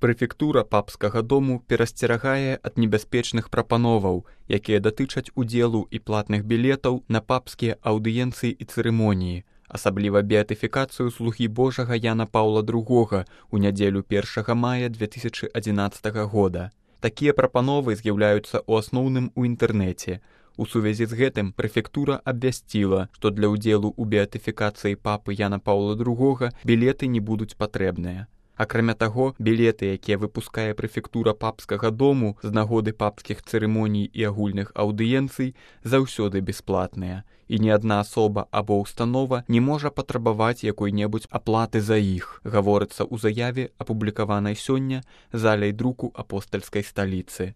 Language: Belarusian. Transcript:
Прэфектура папскага дому перасцерагае ад небяспечных прапановаў, якія датычаць удзелу і платных білетаў на папскія аўдыенцыі і цырымоніі, асабліва беатыфікацыю слугі Божага Яна Паўла II у нядзелю 1 мая 2011 года. Такія прапановы з'яўляюцца ў асноўным у інтэрнэце. У сувязі з гэтым прэфектура абвясціла, што для ўдзелу ў беатыфікацыі папы Яна Паўла II білеты не будуць патрэбныя. Акрамя таго, білеты, якія выпускае прэфектура папскага дому з нагоды папскіх цырымоній і агульных аўдыенцый, заўсёды бясплатныя, і ні адна асоба або ўстанова не можа патрабаваць якой-небудзь аплаты за іх, гаворыцца ў заяве, апублікаванай сёння залай друку апостальскай сталіцы.